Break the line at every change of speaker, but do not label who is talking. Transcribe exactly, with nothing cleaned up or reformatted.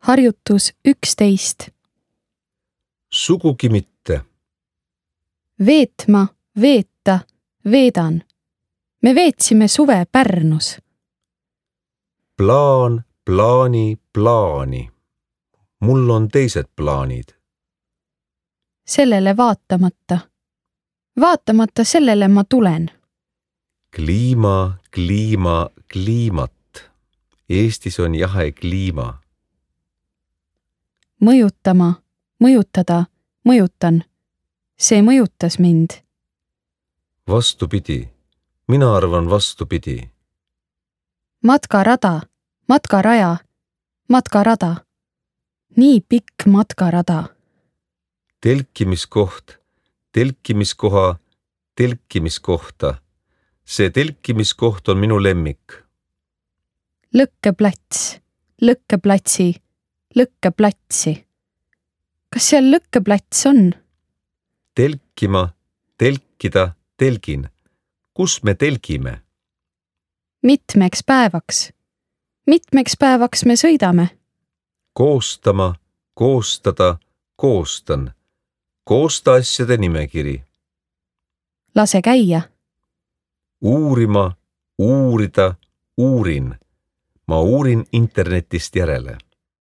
Harjutus üksteist.
Sugugi mitte.
Veetma, veeta, veedan. Me veetsime suve Pärnus.
Plaan, plaani, plaani. Mul on teised plaanid.
Sellele vaatamata. Vaatamata sellele ma tulen.
Kliima, kliima, kliimat. Eestis on jahe kliima.
Mõjutama, mõjutada, mõjutan. See mõjutas mind.
Vastupidi. Mina arvan vastupidi.
Matkarada, matkaraja, matkarada. Nii pikk matkarada.
Telkimiskoht, telkimiskoha, telkimiskohta. See telkimiskoht on minu lemmik.
Lõkkeplats, lõkkeplatsi, lõkkeplatsi. Kas seal lõkkeplats on?
Telkima, telkida, telgin. Kus me telgime?
Mitmeks päevaks. Mitmeks päevaks me sõidame?
Koostama, koostada, koostan. Koosta asjade nimekiri.
Lase käia.
Uurima, uurida, uurin. Ma uurin internetist järele.